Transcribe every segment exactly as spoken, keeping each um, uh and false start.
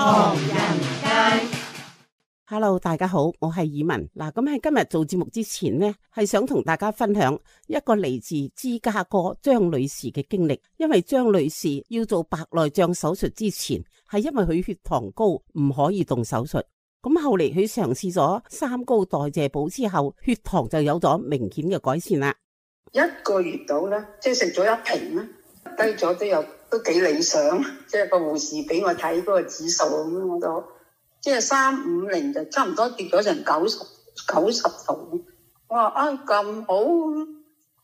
唐人街。Hello， 大家好，我係以文嗱。咁喺今日做節目之前呢，係想同大家分享一個嚟自芝加哥張女士嘅經歷。因為張女士要做白內障手術之前，係因為佢血糖高，唔可以動手術。咁後嚟佢嘗試咗三高代謝補之後，血糖就有咗明顯嘅改善啦。一個月到啦，即係食咗一瓶啦，低咗都有都幾理想。即係個護士俾我睇嗰個指數咁，我都即係三五零就差唔多跌咗成九十九十度。我話啊咁好，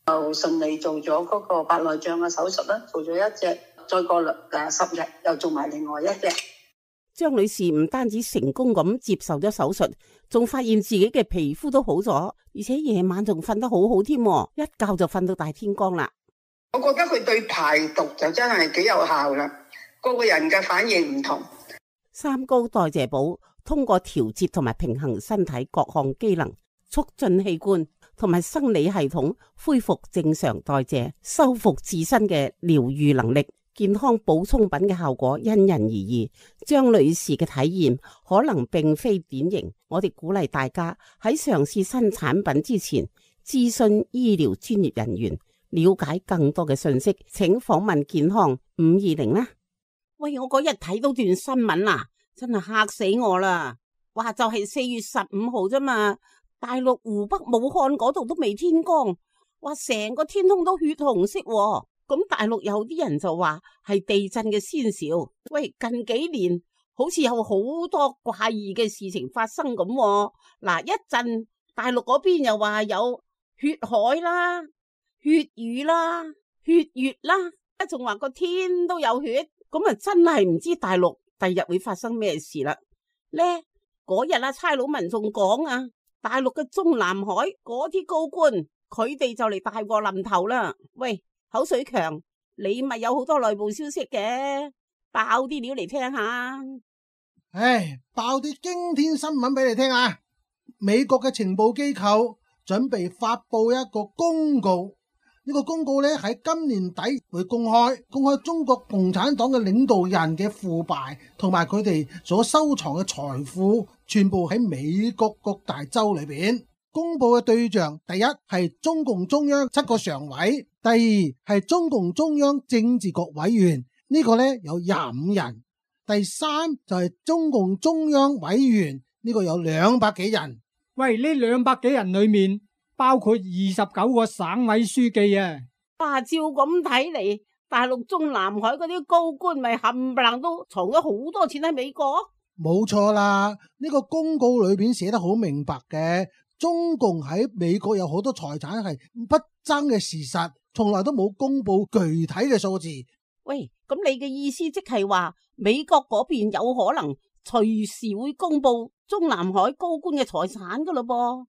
就順利做咗嗰個白內障嘅手術啦，做咗一隻，再過誒十日又做埋另外一隻。張女士唔單止成功咁接受咗手術，仲發現自己嘅皮膚都好咗，而且夜晚仲瞓得好好添，一覺就瞓到大天光啦。我覺得佢對排毒就真係幾有效啦，個個人嘅反應唔同。三高代謝補通過調節同埋平衡身體各項機能，促進器官同埋生理系統恢復正常代謝，修復自身嘅療愈能力。健康補充品嘅效果因人而異，張女士嘅體驗可能並非典型。我哋鼓勵大家喺嘗試新產品之前，諮詢醫療專業人員，了解更多嘅信息，請訪問健康五二零啦。喂，我嗰日睇到段新聞啊，真係嚇死我啦！話就係四月十五號啫嘛，大陸湖北武漢嗰度都未天光，話成個天空都血紅色喎。咁大陸有啲人就話係地震嘅先兆。喂，近幾年好似有好多怪異嘅事情發生咁喎。嗱，一陣大陸嗰邊又話有血海啦、血雨啦、血月啦，一仲話個天都有血，咁啊真係唔知大陸第日會發生咩事啦。呢嗰日啊，差佬民仲講啊，大陸嘅中南海嗰啲高官，佢哋就嚟大禍臨頭啦。喂，口水強，你咪有好多內部消息嘅，爆啲料嚟聽下。唉，爆啲驚天新聞俾你聽啊！美國嘅情報機構準備發佈一個公告，呢個公告咧喺今年底會公開，公開中國共產黨嘅領導人嘅腐敗同埋佢哋所收藏嘅財富，全部喺美國各大洲裏邊。公布嘅對象，第一係中共中央七個常委，第二係中共中央政治局委員，呢個呢有廿五人，第三就係中共中央委員，呢個有兩百幾人。喂，呢兩百幾人裏面包括二十九個省委書記啊！哇，照咁睇嚟，大陸中南海嗰啲高官咪冚唪唥都藏咗好多錢喺美國？冇錯啦，呢個公告裏邊寫得好明白嘅。中共喺美國有好多財產係不爭嘅事實，從來都冇公布具體嘅數字。喂，咁你嘅意思即係話美國嗰邊有可能隨時會公布中南海高官嘅財產噶咯噃？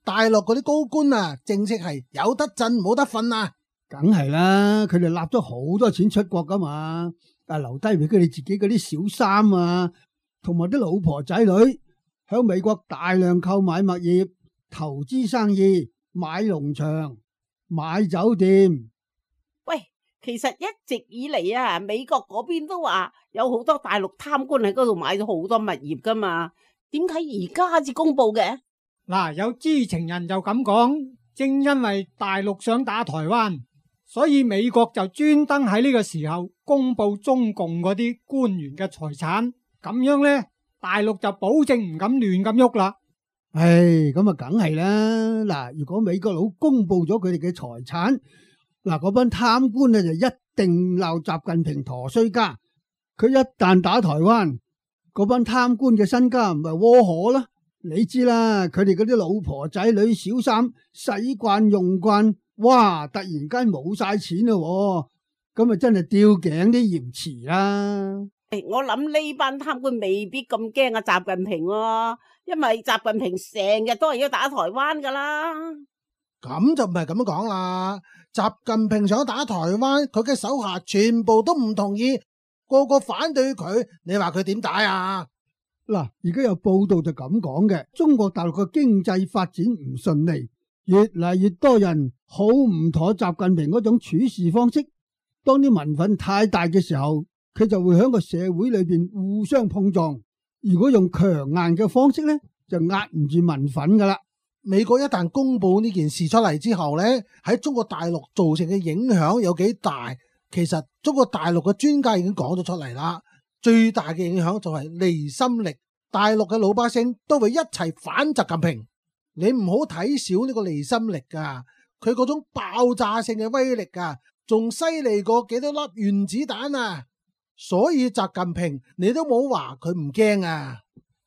大陸嗰啲高官啊，正式係有得震冇得瞓啊！梗係啦，佢哋納咗好多錢出國噶嘛，但係留低俾佢哋自己嗰啲小三啊，同埋啲老婆仔女響美國大量購買物業。投資生意、買農場、買酒店。喂，其實一直以嚟啊，美國嗰邊都話有好多大陸貪官喺嗰度買咗好多物業噶嘛，點解而家至公布嘅？嗱，有知情人就咁講，正因為大陸想打台灣，所以美國就專登喺呢個時候公布中共嗰啲官員嘅財產，咁樣呢，大陸就保證唔敢亂咁喐啦。唉，咁啊，梗係啦。嗱，如果美國佬公布咗佢哋嘅財產，嗱，嗰班貪官咧就一定鬧習近平陀衰家。佢一旦打台灣，嗰班貪官嘅身家唔係窩火啦。你知啦，佢哋嗰啲老婆仔女小三使慣用慣，哇！突然間冇晒錢啦，咁啊真係吊頸啲嫌詞啦。誒，我諗呢班貪官未必咁驚啊習近平喎。因為習近平成日都係要打台灣噶啦，咁就唔係咁樣講啦。習近平想打台灣，佢嘅手下全部都唔同意，個個反對佢，你話佢點打啊？嗱，而家有報道就咁講嘅，中國大陸嘅經濟發展唔順利，越嚟越多人好唔妥習近平嗰種處事方式。當啲民憤太大嘅時候，佢就會喺個社會裏邊互相碰撞。如果用強硬嘅方式咧，就壓唔住民憤噶啦。美國一旦公布呢件事出嚟之後咧，喺中國大陸造成嘅影響有幾大？其實中國大陸嘅專家已經講咗出嚟啦。最大嘅影響就係離心力，大陸嘅老百姓都會一齊反習近平。你唔好睇小呢個離心力噶，佢嗰種爆炸性嘅威力啊，仲犀利過幾多粒原子彈啊！所以習近平你都冇話佢唔驚啊。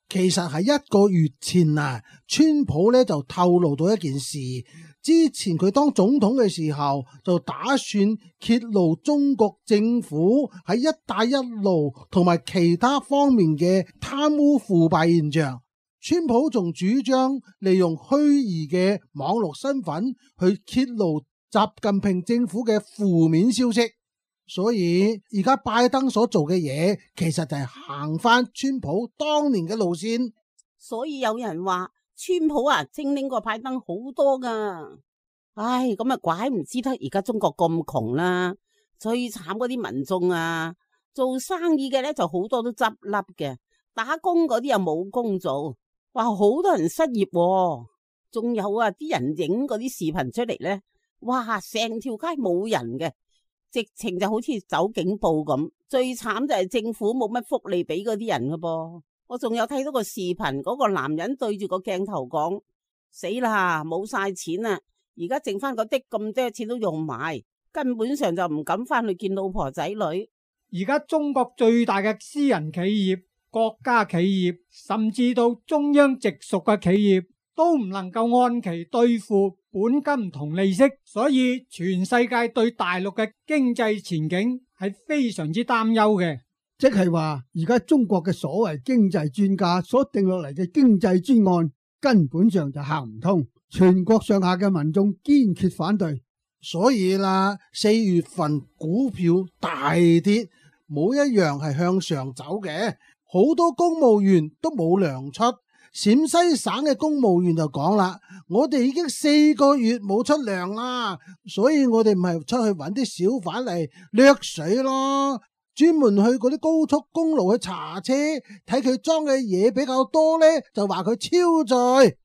其實喺一個月前啊，川普咧就透露到一件事，之前佢當總統嘅時候就打算揭露中國政府喺一帶一路同埋其他方面嘅貪污腐敗現象。川普仲主張利用虛擬嘅網絡身份去揭露習近平政府嘅負面消息。所以而家拜登所做嘅嘢，其實就係行翻川普當年嘅路線。所以有人話川普啊，精靈過拜登好多噶。唉，咁啊怪唔知得而家中國咁窮啦。最慘嗰啲民眾啊，做生意嘅咧就好多都執笠嘅，打工嗰啲又冇工做，哇，好多人失業喎。仲有啊，啲人影嗰啲視頻出嚟咧，哇，成條街冇人嘅。直情就好似走警報咁，最慘就係政府冇乜福利俾嗰啲人噶噃。我仲有睇到個視頻，嗰個男人對住個鏡頭講：死啦，冇晒錢啦，而家剩翻嗰啲咁多錢都用埋，根本上就唔敢翻去見老婆仔女。而家中國最大嘅私人企業、國家企業，甚至到中央直屬嘅企業，都唔能夠按期兌付本金同利息，所以全世界對大陸嘅經濟前景係非常之擔憂嘅。即係話，而家中國嘅所謂經濟專家所定落嚟嘅經濟專案，根本上就行唔通，全國上下嘅民眾堅決反對。所以啦，四月份股票大跌，冇一樣係向上走嘅，好多公務員都冇糧出。陝西省嘅公務員就講啦，我哋已經四個月冇出糧啦，所以我哋唔係出去揾啲小販嚟掠水咯，專門去嗰啲高速公路去查車，睇佢裝嘅嘢比較多呢，就話佢超載。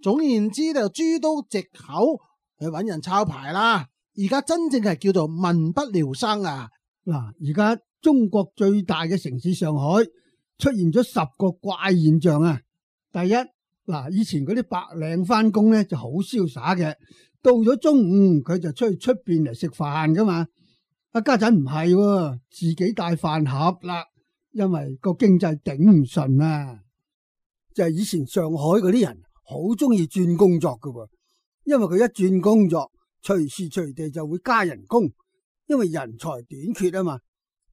總言之就諸多藉口去揾人抄牌啦。而家真正係叫做民不聊生啊！嗱，而家中國最大嘅城市上海出現咗十個怪現象啊！第一，嗱，以前嗰啲白領翻工咧就好瀟灑嘅，到咗中午佢就出去出邊嚟食飯噶嘛。阿家陣唔係，自己帶飯盒啦，因為個經濟頂唔順啊。就係以前上海嗰啲人好中意轉工作噶，因為佢一轉工作，隨時隨地就會加人工，因為人才短缺啊嘛。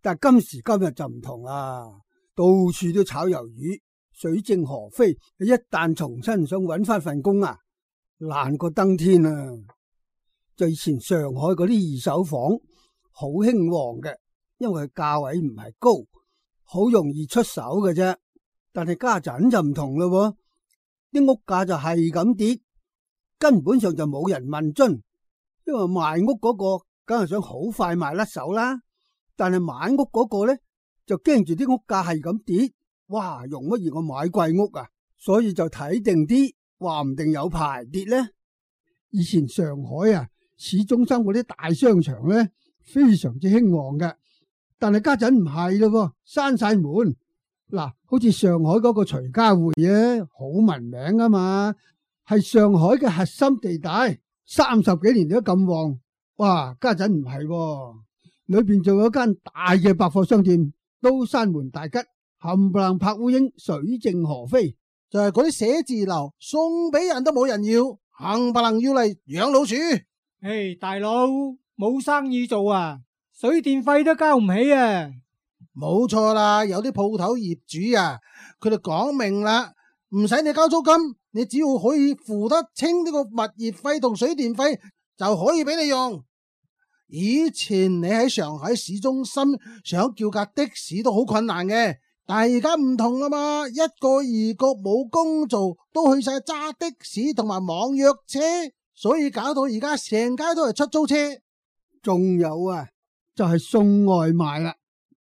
但係今時今日就唔同啦，到處都炒魷魚。水靜河飛，一旦重新想揾翻份工啊，難過登天啊！就以前上海嗰啲二手房好興旺嘅，因為佢價位唔係高，好容易出手嘅啫。但係家陣就唔同咯，啲屋價就係咁跌，根本上就冇人問津，因為賣屋嗰個梗係想好快賣甩手啦，但係買屋嗰個咧就驚住啲屋價係咁跌。哇，容乜易我買貴屋啊？所以就睇定啲，話唔定有排跌呢。以前上海啊，市中心嗰啲大商場咧，非常之興旺嘅。但係家陣唔係咯，閂晒門。嗱，好似上海嗰個徐家匯啊，好聞名啊嘛，係上海嘅核心地帶，三十幾年都咁旺。哇，家陣唔係，裏邊仲有間大嘅百貨商店，都閂門大吉。冚唪唥拍烏蠅，水靜河飛，就係嗰啲寫字樓送俾人都冇人要，冚唪唥要嚟養老鼠。唉，大佬冇生意做啊，水電費都交唔起啊！冇錯啦，有啲鋪頭業主啊，佢哋講明啦，唔使你交租金，你只要可以付得清呢個物業費同水電費，就可以俾你用。以前你喺上海市中心想叫架的士都好困難嘅。但係而家唔同啦嘛，一個二個冇工做，都去晒揸的士同埋網約車，所以搞到而家成街都係出租車。仲有啊，就係送外賣啦。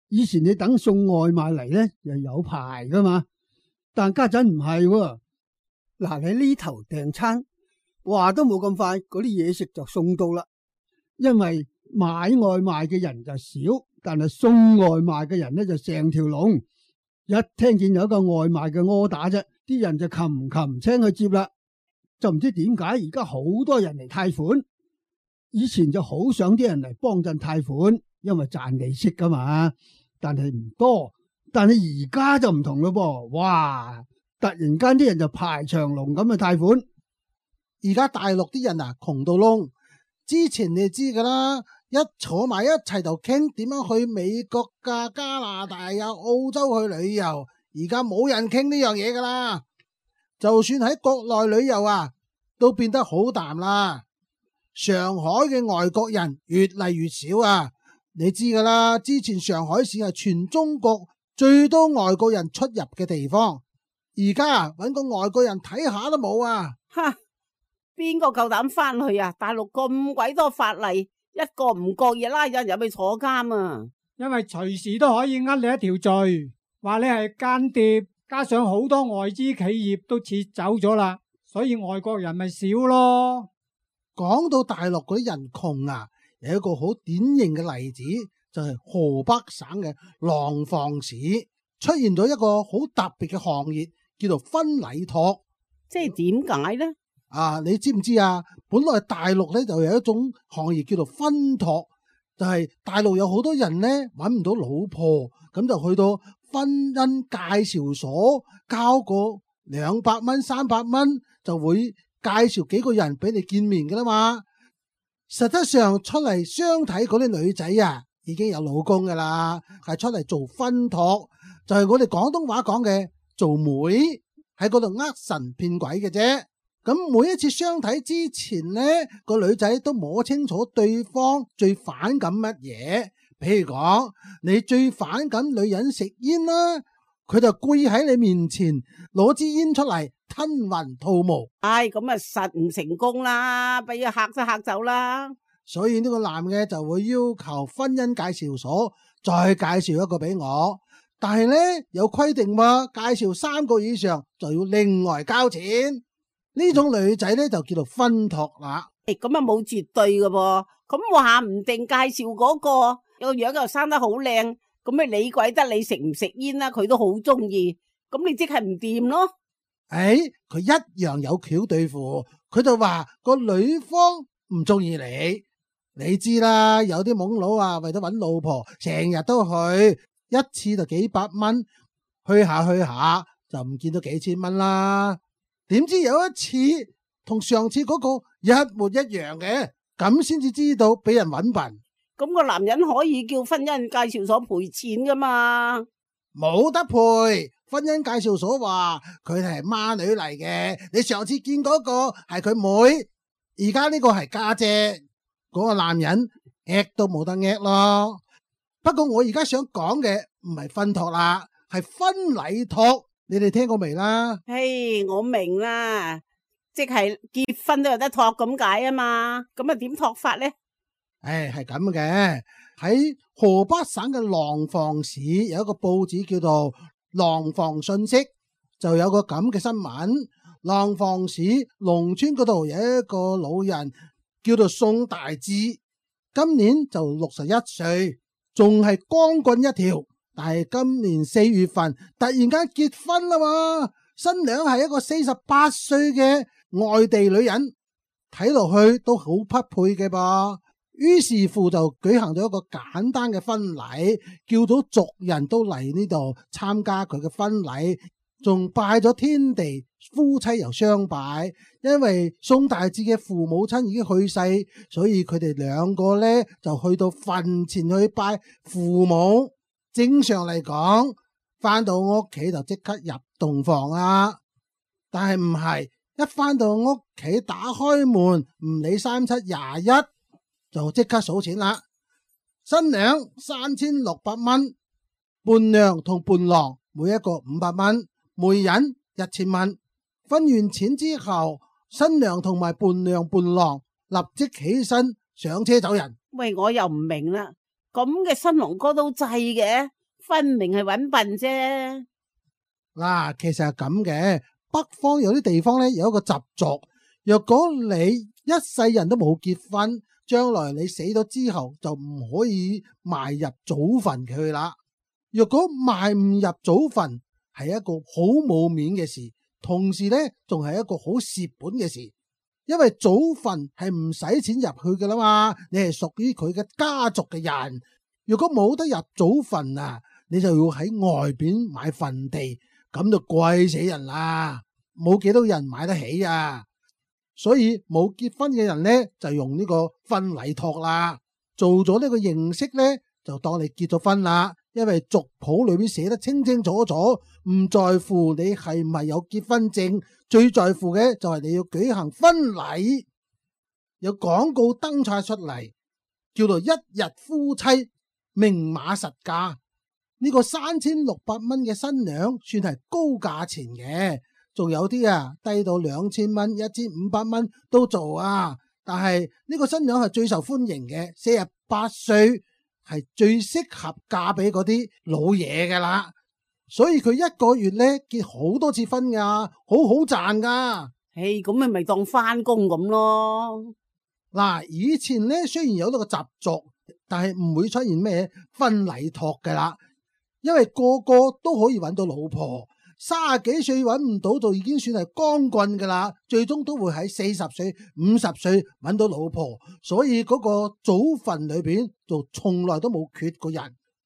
以前你等送外賣嚟咧，又有排噶嘛，但家陣唔係喎。嗱，你呢頭訂餐，話都冇咁快，嗰啲嘢食就送到啦。因為買外賣嘅人就少，但係送外賣嘅人咧就成條龍。一聽見有一個外賣嘅柯打啫，啲人就擒擒青去接啦。就唔知點解而家好多人嚟貸款，以前就好想啲人嚟幫襯貸款，因為賺利息噶嘛。但係唔多，但係而家就唔同咯噃，哇！突然間啲人就排長龍咁去貸款。而家大陸啲人啊窮到窿，之前你知噶啦，一坐埋一齊就傾點樣去美國噶、加拿大啊、澳洲去旅遊，而家冇人傾呢樣嘢噶啦。就算喺國內旅遊啊，都變得好淡啦。上海嘅外國人越嚟越少啊。你知噶啦，之前上海市係全中國最多外國人出入嘅地方，而家搵個外國人睇下都冇啊！哈，邊個夠膽翻去啊？大陸咁鬼多法例，一個唔覺意拉人入去坐監啊！因為隨時都可以呃你一條罪，話你係間諜，加上好多外資企業都撤走咗啦，所以外國人咪少咯。講到大陸嗰啲人窮啊，有一個好典型嘅例子，就係河北省嘅廊坊市出現咗一個好特別嘅行業，叫做分禮託。即係點解呢？啊，你知唔知啊？本來大陸咧就有一種行業叫做分託，就係大陸有好多人咧搵唔到老婆，咁就去到婚姻介紹所交個兩百蚊、三百蚊，就會介紹幾個人俾你見面噶啦嘛。實質上出嚟相睇嗰啲女仔啊，已經有老公噶啦，係出嚟做分託，就係我哋廣東話講嘅做媒，喺嗰度呃神騙鬼嘅啫。咁每一次相睇之前呢，個女仔都摸清楚對方最反感乜嘢。譬如講，你最反感女人食煙啦，佢就跪喺你面前攞支煙出嚟吞雲吐霧。唉，咁啊實唔成功啦，俾佢嚇都嚇走啦。所以呢個男嘅就會要求婚姻介紹所再介紹一個俾我，但係呢，有規定喎，介紹三個以上就要另外交錢。呢種女仔呢，就叫做分託啦。誒，咁啊冇絕對嘅噃，咁話唔定介紹嗰個個樣又生得好靚，咁咪理鬼得你食唔食煙啦？佢都好中意，咁你即係唔掂咯。誒，佢一樣有橋對付，佢就話個女方唔中意你。你知啦，有啲懵佬啊，為咗搵老婆，成日都去，一次就幾百蚊，去下去下就唔見到幾千蚊啦。點知有一次同上次嗰個一模一樣嘅，咁先至知道俾人搵笨。咁個男人可以叫婚姻介紹所賠錢噶嘛？冇得賠，婚姻介紹所話佢係孖女嚟嘅。你上次見嗰個係佢妹，而家呢個係家姐。嗰個男人呃都冇得呃咯。不過我而家想講嘅唔係分託啦，係婚禮託。你哋聽過未啦？嘿，我明啦，即係結婚都有得託咁解啊嘛。咁啊點託法呢？誒，係咁嘅。喺河北省嘅廊坊市有一個報紙叫做《廊坊信息》，就有個咁嘅新聞。廊坊市農村嗰度有一個老人叫做宋大志，今年就六十一歲，仲係光棍一條。但係今年四月份突然間結婚啦嘛，新娘係一個四十八歲嘅外地女人，睇落去都好匹配嘅噃。於是乎就舉行咗一個簡單嘅婚禮，叫到族人都嚟呢度參加佢嘅婚禮，仲拜咗天地，夫妻又相拜。因為宋大志嘅父母親已經去世，所以佢哋兩個呢就去到墳前去拜父母。正常嚟講，翻到屋企就即刻入洞房啦。但係唔係，一翻到屋企打開門，唔理三七廿一，就即刻數錢啦。新娘三千六百蚊，伴娘同伴郎每一個五百蚊，媒人一千蚊。分完錢之後，新娘同埋伴娘伴郎立即起身上車走人。喂，我又唔明啦。咁嘅新郎哥都制嘅，分明係搵笨啫。嗱，其實係咁嘅，北方有啲地方咧有一個習俗，若果你一世人都冇結婚，將來你死咗之後就唔可以埋入祖墳佢啦。若果埋唔入祖墳，係一個好冇面嘅事，同時咧仲係一個好蝕本嘅事，因為祖墳係唔使錢入去㗎啦嘛，你係屬於佢嘅家族嘅人。如果冇得入祖墳啊，你就要喺外邊買墳地，咁就貴死人啦，冇幾多人買得起啊。所以冇結婚嘅人咧就用呢個婚禮托啦，做咗呢個形式咧就當你結咗婚啦。因為族譜裏邊寫得清清楚楚，唔在乎你係唔係有結婚證，最在乎嘅就係你要舉行婚禮。有廣告登晒出嚟，叫做一日夫妻明碼實價。呢個三千六百蚊嘅新娘算係高價錢嘅，仲有啲啊低到兩千蚊、一千五百蚊都做啊。但係呢個新娘係最受歡迎嘅，四十八歲。係最適合嫁俾嗰啲老嘢噶啦，所以佢一個月咧結好多次婚噶，好好賺噶。誒，咁咪咪當翻工咁咯。嗱，以前咧雖然有呢個習俗，但係唔會出現咩婚禮托噶啦，因為個個都可以揾到老婆。三十幾歲揾唔到就已經算係光棍噶啦，最終都會喺四十歲、五十歲揾到老婆，所以嗰個祖墳裏邊就從來都冇缺過人。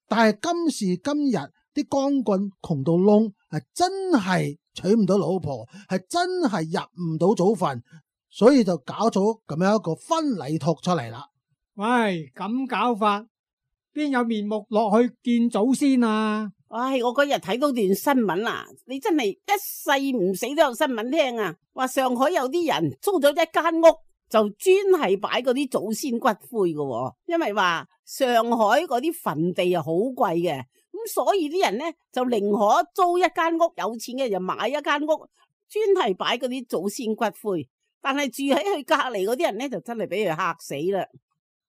但係今時今日啲光棍窮到窿，係真係娶唔到老婆，係真係入唔到祖墳，所以就搞咗咁樣一個婚禮托出嚟啦。喂，咁搞法邊有面目落去見祖先啊？唉，我嗰日睇到段新聞啊，你真係一世唔死都有新聞聽啊！話上海有啲人租咗一間屋，就專係擺嗰啲祖先骨灰嘅，因為話上海嗰啲墳地啊好貴嘅，咁所以啲人呢就寧可租一間屋，有錢嘅就買一間屋，專係擺嗰啲祖先骨灰。但係住喺佢隔籬嗰啲人呢，就真係俾佢嚇死啦。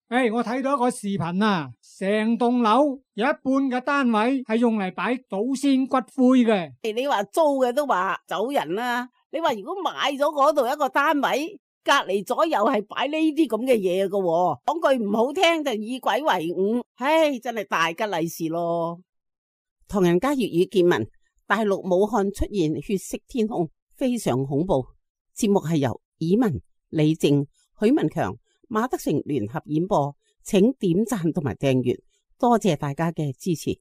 誒、hey, 我睇到一個視頻啊，成棟樓有一半嘅單位係用嚟擺祖先骨灰嘅。誒，你話租嘅都話走人啦，你話如果買咗嗰度一個單位，隔籬左右係擺呢啲咁嘅嘢嘅，講句唔好聽就以鬼為伍，唉，真係大吉利是咯。唐人街粵語見聞，大陸武漢出現血色天空，非常恐怖。節目係由以文、李靜、許文強、馬德成聯合演播，請點讚同埋訂閱，多謝大家嘅支持。